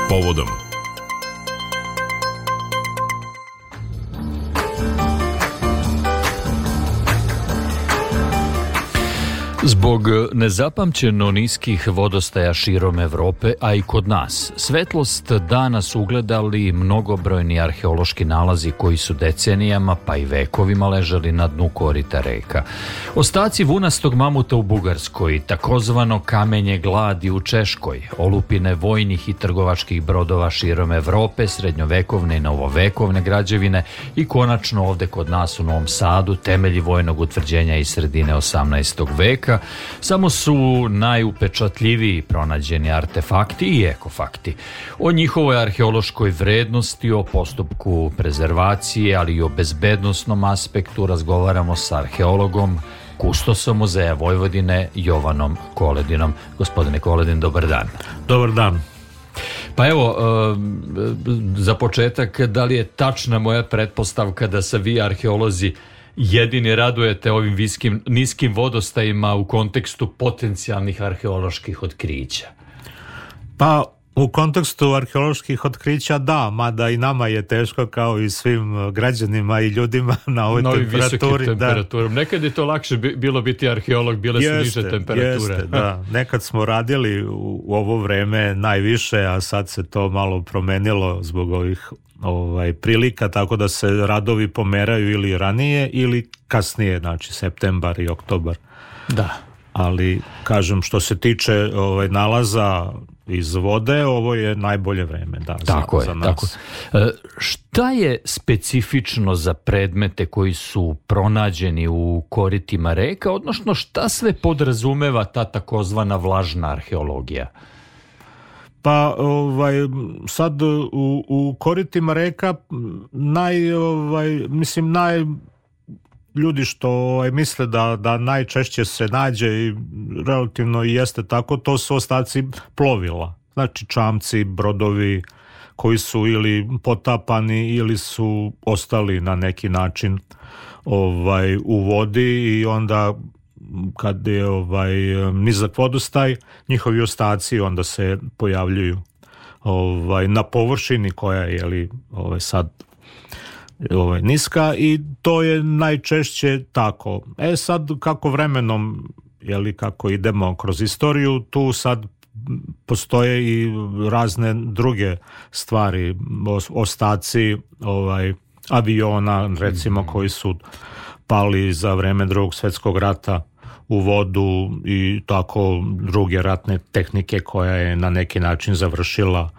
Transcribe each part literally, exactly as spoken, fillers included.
povodom. Zbog nezapamćeno niskih vodostaja širom Evrope, a i kod nas, svetlost dana su ugledali mnogobrojni arheološki nalazi koji su decenijama pa i vekovima ležali na dnu korita reka. Ostaci vunastog mamuta u Bugarskoj, takozvano kamenje gladi u Češkoj, olupine vojnih i trgovačkih brodova širom Evrope, srednjovekovne i novovekovne građevine i konačno ovde kod nas u Novom Sadu temelji vojnog utvrđenja iz sredine osamnaestog veka, samo su najupečatljiviji pronađeni artefakti i ekofakti. O njihovoj arheološkoj vrednosti, o postupku prezervacije, ali i o bezbednosnom aspektu razgovaramo sa arheologom, kustosom Muzeja Vojvodine, Jovanom Koledinom. Gospodine Koledin, dobar dan. Dobar dan. Pa evo, za početak, da li je tačna moja pretpostavka da se vi arheolozi jedini radujete ovim viskim, niskim vodostajima u kontekstu potencijalnih arheoloških otkrića? Pa u kontekstu arheoloških otkrića da, mada i nama je teško kao i svim građanima i ljudima na ovoj na temperaturi. temperaturom. Da. Nekad je to lakše bilo biti arheolog, bile su jeste, niže temperature. Jeste, da. Nekad smo radili u, u ovo vreme najviše, a sad se to malo promenilo zbog ovih ovaj, prilika, tako da se radovi pomeraju ili ranije ili kasnije, znači septembar i oktobar. Da. Ali, kažem, što se tiče ovaj, nalaza iz vode, ovo je najbolje vreme, da, tako za, je, za nas. Tako. E, šta je specifično za predmete koji su pronađeni u koritima reka, odnosno šta sve podrazumeva ta takozvana vlažna arheologija? Pa ovaj sad u, u koritima reka naj ovaj mislim naj ljudi što ovaj, misle da da najčešće se nađe i relativno i jeste tako, to su ostaci plovila. Znači čamci, brodovi koji su ili potapani ili su ostali na neki način ovaj u vodi i onda kad je ovaj nizak vodostaj, njihovi ostaci onda se pojavljuju ovaj na površini koja je li ovaj sad ovaj niska i to je najčešće tako. E sad kako vremenom je li kako idemo kroz istoriju, tu sad postoje i razne druge stvari, ostaci ovaj aviona recimo koji su pali za vreme Drugog svjetskog rata u vodu i tako druge ratne tehnike koja je na neki način završila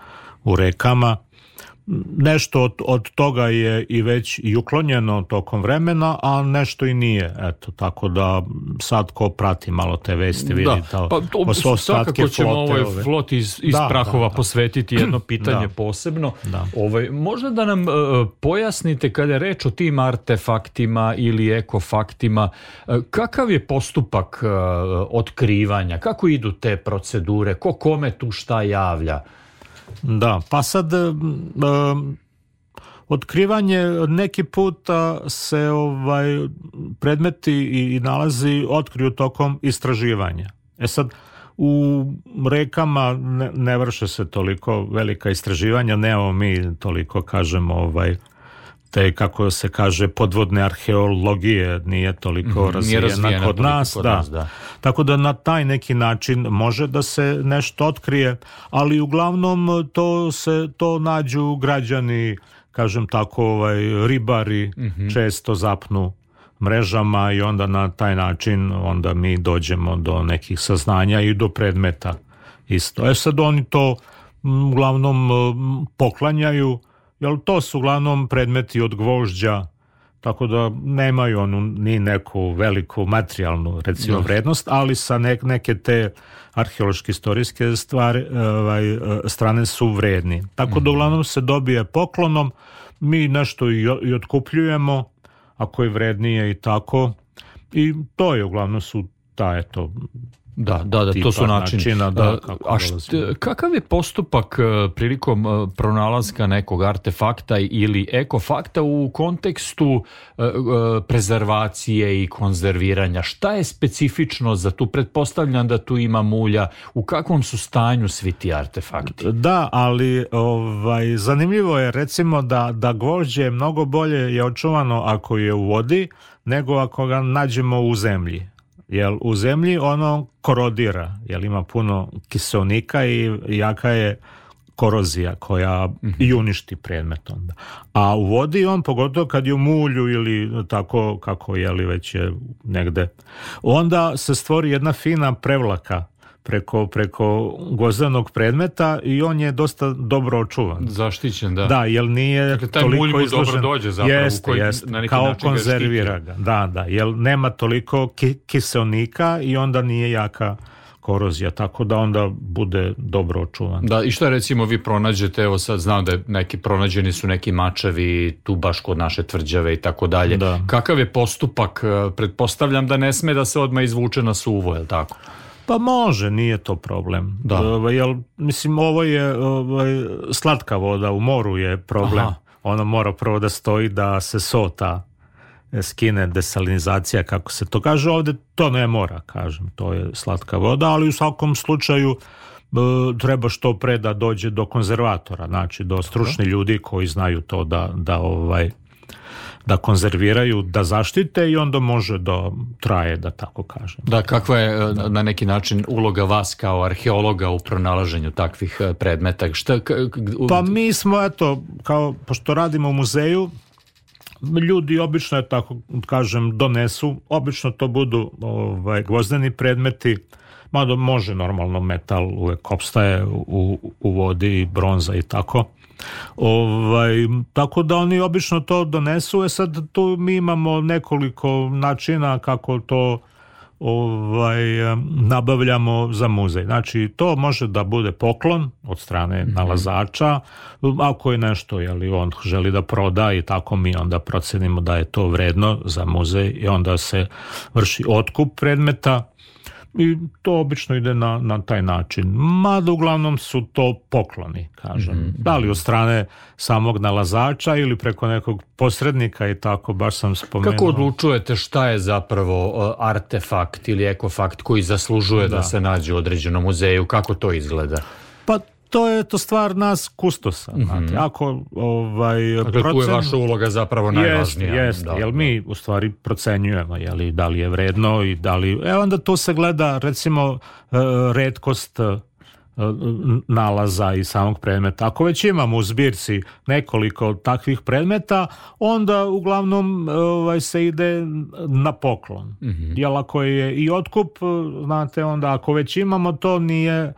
u rekama. Nešto od, od toga je i već i uklonjeno tokom vremena, a nešto i nije. Eto, tako da sad ko prati malo te vesti vidi da, pa, to, svakako ćemo ovoj floti iz, iz da, prahova da, da. posvetiti jedno pitanje da. posebno. Da. Ovaj, možda da nam uh, pojasnite kada je reč o tim artefaktima ili ekofaktima, uh, kakav je postupak uh, otkrivanja, kako idu te procedure, ko kome tu šta javlja? Da, pa sad um, otkrivanje neki puta se ovaj predmeti i nalazi otkriju tokom istraživanja. E sad u rekama ne, ne vrše se toliko velika istraživanja, nemamo mi toliko kažemo ovaj te kako se kaže podvodne arheologije nije toliko mm-hmm, razvijena, razvijena kod, nas, kod da. nas, da. Tako da na taj neki način može da se nešto otkrije, ali uglavnom to se to nađu građani, kažem tako, ovaj ribari mm-hmm. često zapnu mrežama i onda na taj način onda mi dođemo do nekih saznanja i do predmeta isto. E sad oni to uglavnom poklanjaju. Jel to su uglavnom predmeti od gvožđa, tako da nemaju onu ni neku veliku materijalnu recimo no. vrednost, ali sa ne, neke te arheološke istorijske stvari, ovaj, strane su vredni. Tako mm-hmm. da uglavnom se dobije poklonom, mi nešto i, i otkupljujemo, ako je vrednije i tako, i to je uglavnom su ta eto Da, da, da, to su načini. Načina, da, a št, kakav je postupak prilikom pronalaska nekog artefakta ili ekofakta u kontekstu prezervacije i konzerviranja? Šta je specifično za tu? Pretpostavljam da tu ima mulja. U kakvom su stanju svi ti artefakti? Da, ali ovaj, zanimljivo je recimo da, da gvožđe mnogo bolje je očuvano ako je u vodi nego ako ga nađemo u zemlji. Jer u zemlji ono korodira, jer ima puno kiseonika i jaka je korozija koja mm-hmm. i uništi predmet onda. A u vodi on, pogotovo kad je u mulju ili tako kako je li već je negde, onda se stvori jedna fina prevlaka preko, preko gvozdenog predmeta i on je dosta dobro očuvan. Zaštićen, da. Da, jer nije dakle, taj toliko mulj mu izložen. Dobro dođe zapravo. Jeste, koji jeste, na neki kao način konzervira ga. Da, da, jer nema toliko ki- kiseonika i onda nije jaka korozija, tako da onda bude dobro očuvan. Da, i šta recimo vi pronađete, evo sad znam da je neki pronađeni su neki mačevi tu baš kod naše tvrđave i tako dalje. Kakav je postupak? Pretpostavljam da ne sme da se odmah izvuče na suvo, je li tako? Pa može, nije to problem. Da. Uh, jel, mislim, ovo je uh, slatka voda, u moru je problem. Aha. Ono mora prvo da stoji da se sota skine, desalinizacija, kako se to kaže. Ovdje to ne mora, kažem, to je slatka voda, ali u svakom slučaju uh, treba što pre da dođe do konzervatora, znači do stručnih ljudi koji znaju to da, da ovaj da konzerviraju, da zaštite i onda može da traje, da tako kažem. Da, kakva je da. na neki način uloga vas kao arheologa u pronalaženju takvih predmeta? Šta, k- pa mi smo, eto, kao, pošto radimo u muzeju, ljudi obično, je tako kažem, donesu, obično to budu ovaj, gvozdeni predmeti, mada može normalno metal uvek opstaje u, u vodi, bronza i tako. Ovaj, tako da oni obično to donesu. E sad tu mi imamo nekoliko načina kako to ovaj, nabavljamo za muzej. Znači to može da bude poklon od strane mm-hmm. nalazača, ako je nešto, jeli on želi da proda i tako mi onda procenimo da je to vredno za muzej i onda se vrši otkup predmeta. I to obično ide na, na taj način. Mada uglavnom su to pokloni, kažem. Mm-hmm. Da li od strane samog nalazača ili preko nekog posrednika i tako, baš sam spomenuo. Kako odlučujete šta je zapravo artefakt ili ekofakt koji zaslužuje da, da se nađe u određenom muzeju? Kako to izgleda? Pa to je to stvar nas kustosa. Mm-hmm. Znate. Ako, ovaj, dakle, procen... tu je vaša uloga zapravo najvažnija. Jeste, jeste, jer mi u stvari procenjujemo jeli, da li je vredno i da li... E onda to se gleda recimo retkost nalaza i samog predmeta. Ako već imamo u zbirci nekoliko takvih predmeta, onda uglavnom ovaj, se ide na poklon. Mm-hmm. Jer ako je i otkup, znate, onda ako već imamo to nije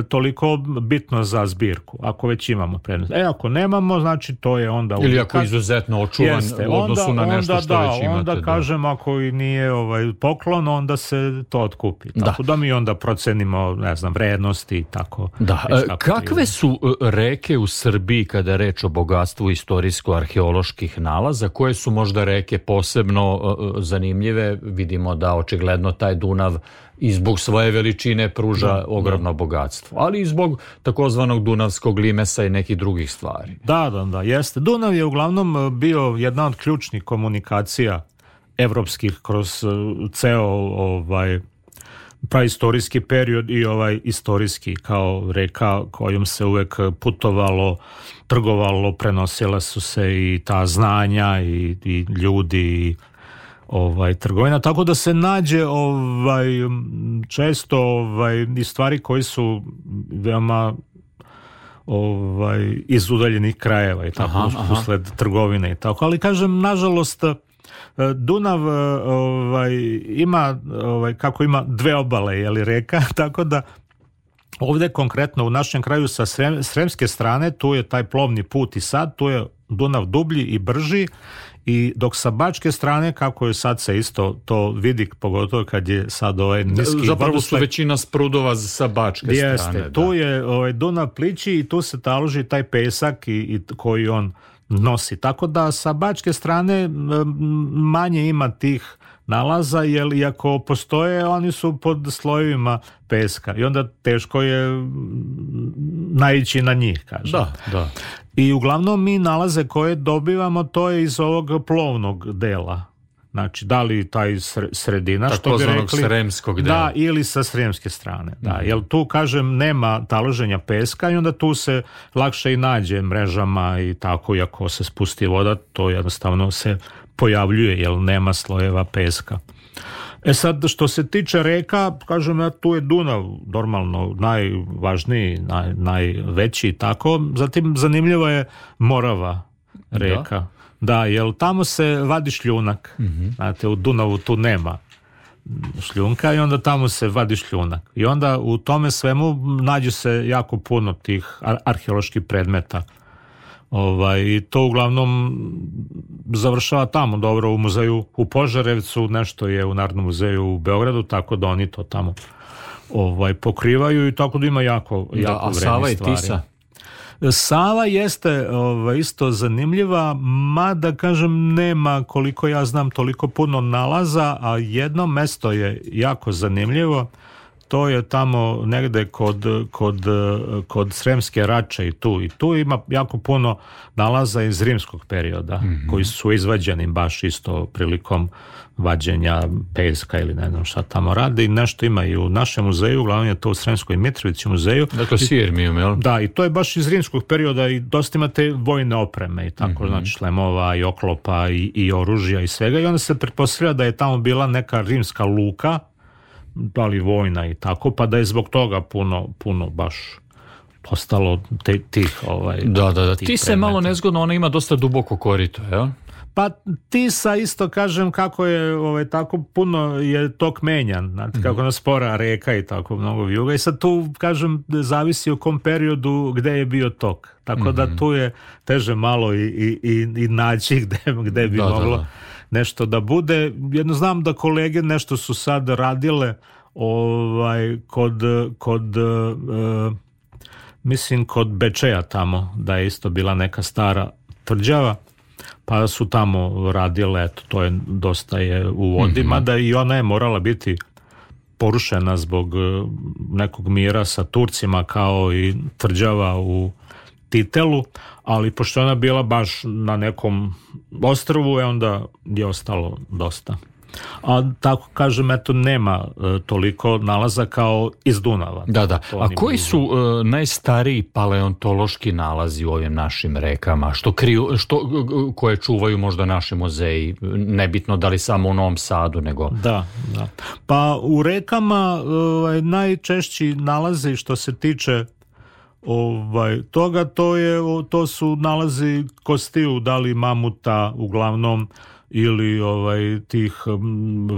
toliko bitno za zbirku, ako već imamo predmet. E, ako nemamo, znači to je onda... Ili uvijek, ako je izuzetno očuvan jeste, u odnosu onda, na nešto onda, što da, već imate. Onda da. kažem, ako i nije ovaj, poklon, onda se to otkupi. Tako da, da mi onda procenimo, ne znam, vrednosti i tako. Da. E, kakve su reke u Srbiji kada je reč o bogatstvu istorijsko-arheoloških nalaza? Koje su možda reke posebno uh, zanimljive? Vidimo da očigledno taj Dunav i zbog svoje veličine pruža da, ogromno da. bogatstvo, ali i zbog takozvanog dunavskog limesa i nekih drugih stvari. Da, da, da, jeste. Dunav je uglavnom bio jedna od ključnih komunikacija evropskih kroz ceo ovaj praistorijski period i ovaj istorijski, kao reka kojom se uvek putovalo, trgovalo, prenosila su se i ta znanja i, i ljudi i ovaj trgovina, tako da se nađe ovaj često ovaj i stvari koji su veoma ovaj iz udaljenih krajeva i tako aha, usled aha. trgovine i tako, ali kažem nažalost Dunav ovaj ima ovaj kako ima dve obale, je li reka, tako da ovdje konkretno u našem kraju sa srem, sremske strane tu je taj plovni put i sad tu je Dunav dublji i brži. I dok sa bačke strane, kako je sad se isto to vidi, pogotovo kad je sad ovaj niski... Zapravo vodostaj, su većina sprudova sa bačke jeste, strane. Jeste, tu da. je ovaj, Dunav plići i tu se taloži taj pesak i, i koji on nosi. Tako da sa bačke strane manje ima tih nalaza, jer iako postoje, oni su pod slojevima peska i onda teško je naići na njih, kažem. Da, da. I uglavnom mi nalaze koje dobivamo, to je iz ovog plovnog dela. Znači, da li taj sredina, tako što bi rekli, sremskog dela. Da, ili sa sremske strane. Da, mm. Jer tu, kažem, nema taloženja peska i onda tu se lakše i nađe mrežama i tako, i ako se spusti voda, to jednostavno se pojavljuje, jer nema slojeva peska. E sad, što se tiče reka, kažem, ja, tu je Dunav normalno najvažniji, naj, najveći i tako. Zatim, zanimljiva je Morava reka. Da. Da, jer tamo se vadi šljunak. Mm-hmm. Znate, u Dunavu tu nema šljunka i onda tamo se vadi šljunak. I onda u tome svemu nađe se jako puno tih ar- arheoloških predmeta. Ovaj, i to uglavnom završava tamo, dobro, u muzeju u Požarevcu, nešto je u Narodnom muzeju u Beogradu, tako da oni to tamo ovaj, pokrivaju i tako da ima jako, da, jako a Sava i stvari. Tisa? Sava jeste ovaj, isto zanimljiva, mada, kažem, nema, koliko ja znam, toliko puno nalaza, a jedno mesto je jako zanimljivo. To je tamo negde kod, kod, kod Sremske Rače i tu. I tu ima jako puno nalaza iz rimskog perioda, mm-hmm. koji su izvađeni baš isto prilikom vađenja peska ili ne znam šta tamo rade. I nešto ima i u našem muzeju, uglavnom je to u Sremskoj Mitrovici muzeju. Dakle, Sirmijum, jel? Da, i to je baš iz rimskog perioda i dosta imate vojne opreme i tako, mm-hmm. znači šlemova i oklopa i, i oružja i svega. I onda se pretpostavlja da je tamo bila neka rimska luka, da li vojna i tako, pa da je zbog toga puno, puno baš postalo te, tih ovaj, da, da, da. Ti se malo nezgodno, ona ima dosta duboko korito, jel? Pa Tisa isto, kažem, kako je ovaj, tako puno je tok menjan, znate, mm-hmm. kako nas spora reka i tako mnogo vijuga i sad tu, kažem, zavisi u kom periodu gde je bio tok, tako mm-hmm. da tu je teže malo i, i, i, i naći gde, gde bi da, moglo da, da. nešto da bude. Jedno znam da kolege nešto su sad radile ovaj, kod, kod uh, mislim kod Bečeja tamo, da je isto bila neka stara tvrđava, pa su tamo radile, eto, to je dosta je u vodi, mm-hmm. mada i ona je morala biti porušena zbog nekog mira sa Turcima, kao i tvrđava u Titelu, ali pošto ona bila baš na nekom ostrvu, je onda je ostalo dosta. A tako, kažem, eto, nema e, toliko nalaza kao iz Dunava. Da, da. A koji blizu. su e, najstariji paleontološki nalazi u ovim našim rekama? Što kriju, što, koje čuvaju možda naši muzeji? Nebitno da li samo u Novom Sadu, nego... Da, da. Pa u rekama e, najčešći nalazi što se tiče ovaj, toga, to, je, to su nalazi kostiju, da li mamuta uglavnom, ili ovaj tih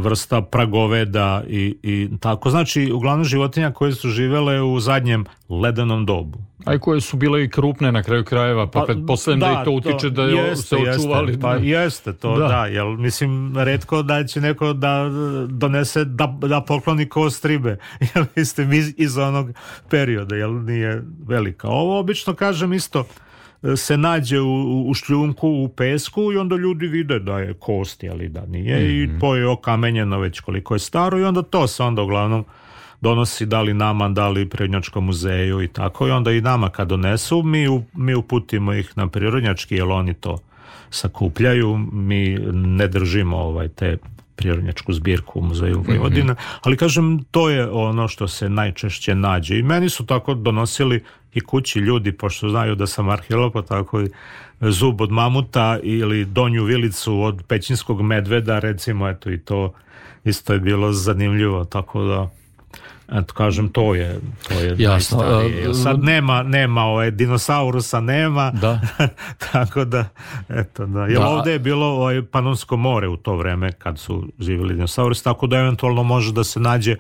vrsta pragoveda i, i tako. Znači, uglavnom životinja koje su živele u zadnjem ledenom dobu. A i koje su bile i krupne na kraju krajeva, pa, pa pretpostavljam da, da i to utiče da je jeste, se očuvali. Jeste, pa jeste to, da, da jel, mislim, retko da će neko da donese, da, da pokloni kost ribe, jel, mislim, iz, iz onog perioda, jel, nije velika. Ovo obično, kažem, isto se nađe u, u šljunku, u pesku i onda ljudi vide da je kost, ali da nije, mm-hmm. i to je okamenjeno već koliko je staro i onda to se onda uglavnom donosi da li nama, da li Prirodnjačkom muzeju i tako, i onda i nama kad donesu, mi, u, mi uputimo ih na Prirodnjački, jer oni to sakupljaju, mi ne držimo ovaj, te prirodnjačku zbirku u muzeju Vojvodine, mm-hmm. ali kažem, to je ono što se najčešće nađe i meni su tako donosili i kući ljudi, pošto znaju da sam arheolog, pa tako i zub od mamuta ili donju vilicu od pećinskog medveda, recimo, eto, i to isto je bilo zanimljivo, tako da eto, kažem, to je to je najstarije. Sad nema, nema ovaj, dinosaurusa nema, da. tako da, eto, da. Jer da. Ovde je bilo ovaj, Panonsko more u to vreme kad su živjeli dinosaurusi, tako da eventualno može da se nađe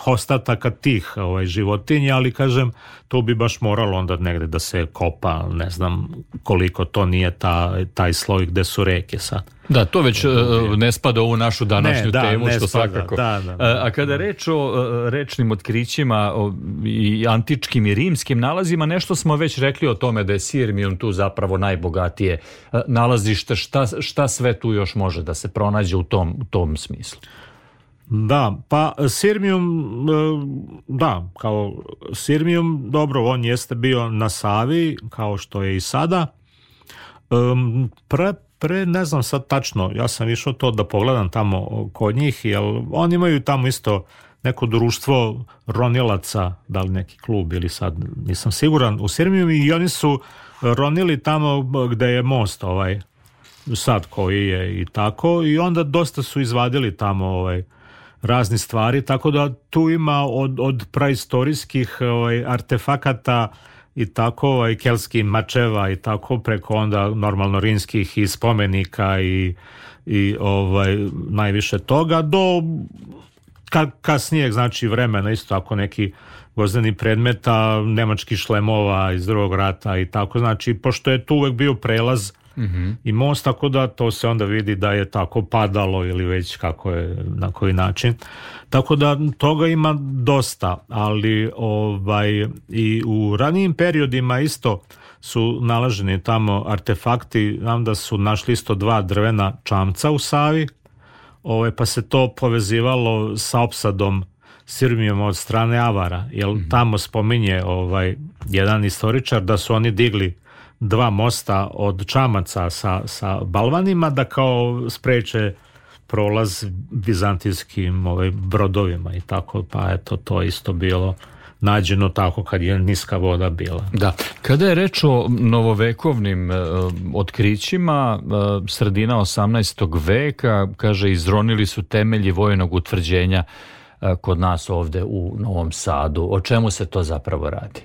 ostataka tih ovaj, životinja, ali kažem, to bi baš moralo onda negde da se kopa, ne znam koliko to nije ta, taj sloj gde su reke sad. Da, to već uh, ne spada u ovu našu današnju ne, da, temu, što spada, svakako. Da, da, da, a kada reč o uh, rečnim otkrićima o, i antičkim i rimskim nalazima, nešto smo već rekli o tome da je Sirmium tu zapravo najbogatije uh, nalazište. Šta, šta sve tu još može da se pronađe u tom, u tom smislu? Da, pa Sirmium, da, kao Sirmium, dobro, on jeste bio na Savi, kao što je i sada. Um, pre, pre, ne znam sad tačno, ja sam išao to da pogledam tamo kod njih, jer oni imaju tamo isto neko društvo ronilaca, da li neki klub ili sad, nisam siguran, u Sirmium, i oni su ronili tamo gde je most ovaj, sad koji je i tako, i onda dosta su izvadili tamo ovaj, razni stvari, tako da tu ima od, od praistorijskih ovaj, artefakata i tako ovaj, keltskih mačeva i tako preko onda normalno rimskih i spomenika i, i ovaj, najviše toga do ka, kasnijeg znači vremena isto tako neki gvozdeni predmeta, nemačkih šlemova iz drugog rata i tako, znači pošto je tu uvek bio prelaz mm-hmm. i most, tako da to se onda vidi da je tako padalo ili već kako je, na koji način. Tako da toga ima dosta, ali ovaj, i u ranijim periodima isto su nalaženi tamo artefakti, znam da su našli isto dva drvena čamca u Savi, ovaj, pa se to povezivalo sa opsadom Sirmijom od strane Avara, jer mm-hmm. tamo spominje ovaj, jedan istoričar da su oni digli dva mosta od čamaca sa, sa balvanima da kao spreče prolaz vizantijskim ovaj, brodovima i tako, pa eto to isto bilo nađeno tako kad je niska voda bila. Da, kada je reč o novovekovnim uh, otkrićima, uh, sredina osamnaestog veka, kaže, izronili su temelji vojnog utvrđenja uh, kod nas ovde u Novom Sadu. O čemu se to zapravo radi?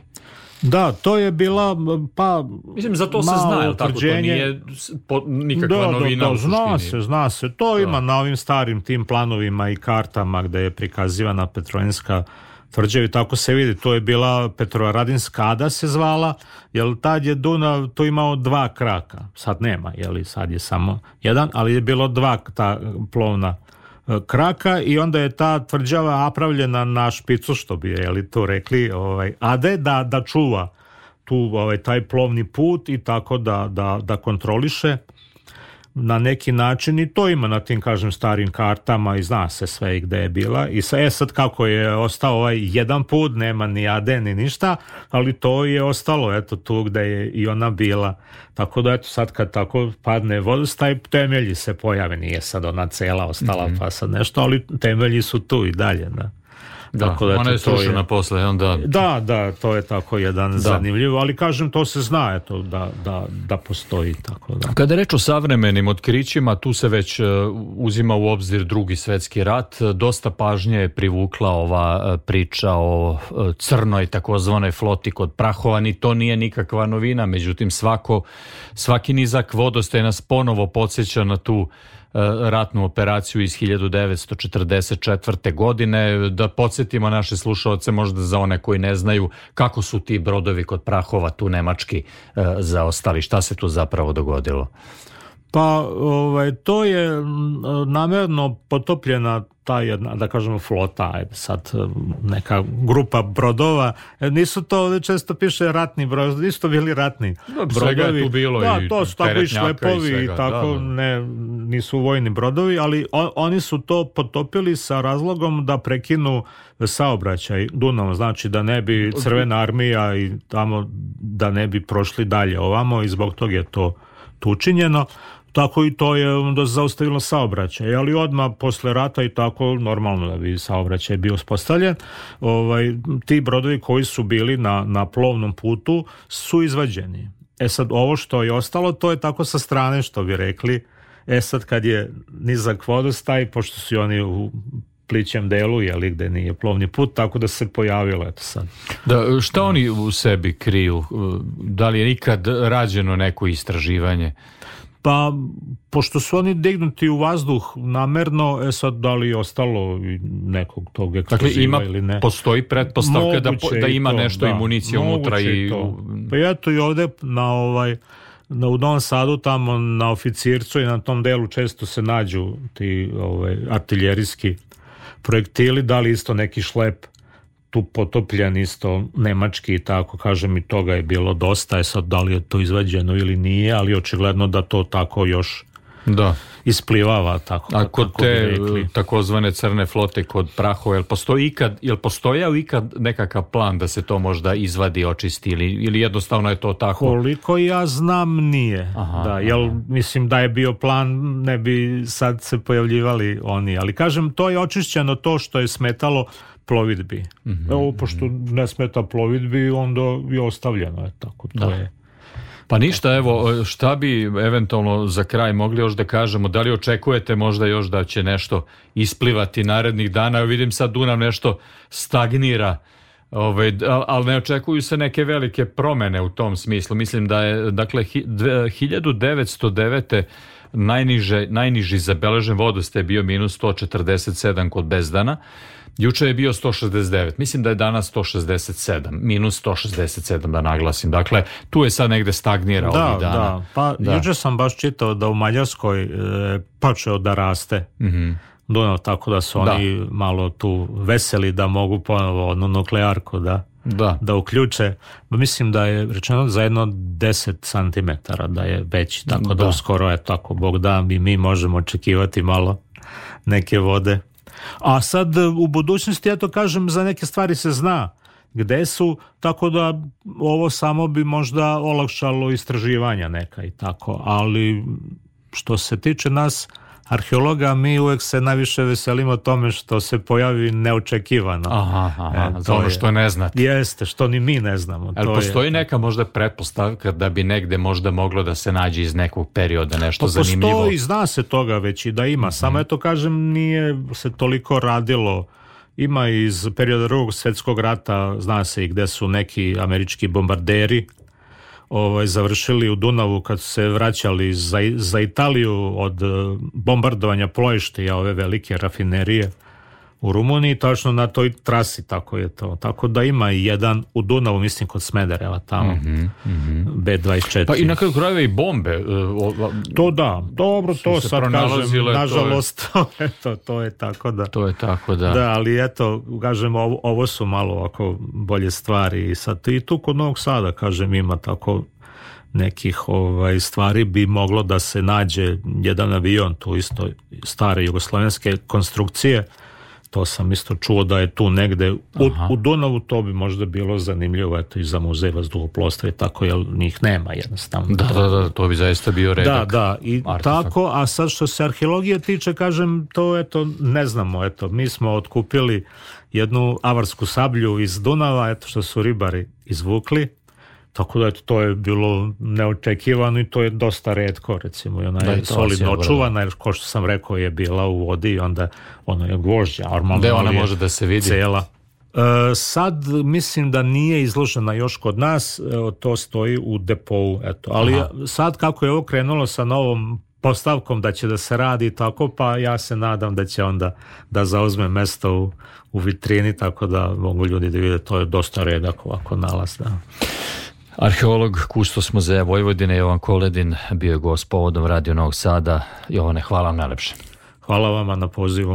Da, to je bila, pa... Mislim, za to se zna, jel tako? To nije po, nikakva da, novina da, da, u suštini. Zna se, zna se. To da. Ima na ovim starim tim planovima i kartama gde je prikazivana Petrovaradinska tvrđava i tako se vidi. To je bila Petrovaradinska ada se zvala, jer tad je Dunav to imao dva kraka. Sad nema, jel, sad je samo jedan, ali je bilo dva ta plovna kraka i onda je ta tvrđava napravljena na špicu, što bi je to rekli, ovaj, ade da, da čuva tu ovaj, taj plovni put i tako da, da, da kontroliše na neki način, i to ima na tim, kažem, starim kartama i zna se sve gde je bila. I sa, e sad kako je ostao ovaj jedan put, nema ni ade ni ništa, ali to je ostalo eto tu gde je i ona bila. Tako da eto sad kad tako padne vodostaj, temelji se pojave, nije sad ona cela ostala mm-hmm. pa sad nešto, ali temelji su tu i dalje, da. Da, tako da, ona je srušena je... posle onda... Da, da, to je tako jedan da. zanimljivo, ali kažem, to se zna eto, da, da, da postoji tako da. Kada je reč o savremenim otkrićima, tu se već uh, uzima u obzir Drugi svetski rat. Dosta pažnje je privukla ova uh, priča o uh, crnoj takozvanoj floti kod Prahova, ni to nije nikakva novina, međutim svako, svaki nizak vodostaja nas ponovo podsjeća na tu ratnu operaciju iz hiljadu devetsto četrdeset četvrte. godine. Da podsjetimo naše slušaoce, možda za one koji ne znaju, kako su ti brodovi kod Prahova tu nemački e, zaostali. Šta se tu zapravo dogodilo? Pa ovaj, to je namerno potopljena ta jedna, da kažemo, flota, ajde sad neka grupa brodova. Nisu to, često piše ratni brodovi, nisu to bili ratni da, brodovi. Je tu bilo da, i to su tako i šlepovi i tako, da, da. Ne, nisu vojni brodovi, ali on, oni su to potopili sa razlogom da prekinu saobraćaj Dunavom, znači da ne bi Crvena armija i tamo da ne bi prošli dalje ovamo i zbog toga je to tu učinjeno. Tako i to je onda zaustavilo saobraćaj, ali odmah posle rata i tako normalno da bi saobraćaj bio uspostavljen. Ovaj, ti brodovi koji su bili na, na plovnom putu su izvađeni. E sad ovo što je ostalo, to je tako sa strane što bi rekli. E sad kad je nizak vodostaj, pošto su oni u plićem delu, jeli, gde nije plovni put, tako da se pojavilo eto sad. Da, šta oni u sebi kriju? Da li je nikad rađeno neko istraživanje? Pa, pošto su oni dignuti u vazduh namerno, e sad da li je ostalo nekog tog eksploziva dakle, ili ne. Postoji pretpostavka da, da ima to, nešto da, municije unutra. I... To. Pa eto i ovde na ovaj, na, u Novom Sadu tamo na Oficircu i na tom delu često se nađu ti ovaj, artiljerijski projektili, da li isto neki šlep tu potopljen isto nemački i tako, kažem i toga je bilo dosta, je sad da li je to izvađeno ili nije, ali očigledno da to tako još da isplivava tako. A kod te takozvane crne flote kod Prahova, jel postoji ikad, jel postojao ikad nekakav plan da se to možda izvadi, očisti ili, ili jednostavno je to tako? Koliko ja znam nije. Aha, da, jel, aha. Mislim da je bio plan, ne bi sad se pojavljivali oni, ali kažem to je očišćeno to što je smetalo plovidbi. Mm-hmm. Evo, pošto ne smeta plovidbi, onda je ostavljeno. Je tako, to da. je. Pa ništa, evo, šta bi eventualno za kraj mogli još da kažemo, da li očekujete možda još da će nešto isplivati narednih dana? Evo vidim sad Dunav nešto stagnira, ovaj, ali ne očekuju se neke velike promene u tom smislu. Mislim da je, dakle, hiljadu devetsto devete najniže, najniži zabeležen vodostaj je bio minus sto četrdeset sedam kod Bezdana. Juče je bio sto šezdeset devet, mislim da je danas sto šezdeset sedam, minus sto šezdeset sedam da naglasim. Dakle, tu je sad negde stagnira da, ovih dana. Da, pa da. Juče sam baš čitao da u Mađarskoj e, počeo da raste mm-hmm. Dunav, tako da su da. Oni malo tu veseli da mogu ponovo onu nuklearku da, da. da uključe. Mislim da je rečeno za jedno deset santimetara da je veći, tako da, da uskoro je tako, Bog da, mi, mi možemo očekivati malo neke vode. A sad u budućnosti, ja to kažem, za neke stvari se zna gde su, tako da ovo samo bi možda olakšalo istraživanja neka i tako, ali što se tiče nas arheologa, mi uvek se najviše veselimo tome što se pojavi neočekivano. Aha, aha, e, za ono što ne znate. Jeste, što ni mi ne znamo. Ali to postoji je neka možda pretpostavka da bi negde možda moglo da se nađe iz nekog perioda nešto pa zanimljivo? Postoji, zna se toga već i da ima, mm-hmm. samo eto kažem, nije se toliko radilo. Ima iz perioda Drugog svjetskog rata, zna se i gde su neki američki bombarderi Ovaj, završili u Dunavu kad su se vraćali za, za Italiju od bombardovanja Ploješte, ove velike rafinerije u Rumuniji, tačno na toj trasi, tako je to. Tako da ima i jedan u Dunavu, mislim kod Smedereva tamo, mm-hmm, mm-hmm. be dvadeset četiri. Pa i na kraju krajeva i bombe. To da, dobro, to sad kažem, nažalost, to je, eto, to je tako da. To je tako da. Da, ali eto, kažem, ovo, ovo su malo ovako bolje stvari i sad i tu kod Novog Sada, kažem, ima tako nekih ovaj, stvari bi moglo da se nađe jedan avion, tu isto stare jugoslavenske konstrukcije. To sam isto čuo da je tu negde u, u Dunavu, to bi možda bilo zanimljivo, eto i za muzej vazduhoplovstva i tako, jer njih nema jednostavno. Da, da, da, to bi zaista bio redak. Da, da, i artefakt. Tako, a sad što se arheologije tiče, kažem, to eto ne znamo, eto, mi smo otkupili jednu avarsku sablju iz Dunava, eto što su ribari izvukli, tako da eto, to je bilo neočekivano i to je dosta retko, recimo, i ona je solidno očuvana, jer ko što sam rekao je bila u vodi i onda ono je gvožđa, normalno. Gde ona može da se vidi? Cela. E, sad mislim da nije izložena još kod nas, e, to stoji u depou, eto. Ali aha. Sad kako je ovo krenulo sa novom postavkom da će da se radi tako, pa ja se nadam da će onda da zauzme mesto u, u vitrini, tako da mogu ljudi da vide, to je dosta redak ovako nalaz, da. Arheolog, kustos muzeja Vojvodine Jovan Koledin bio je gost povodom Radio Novog Sada. Jovane, hvala vam najlepše. Hvala vama na pozivu.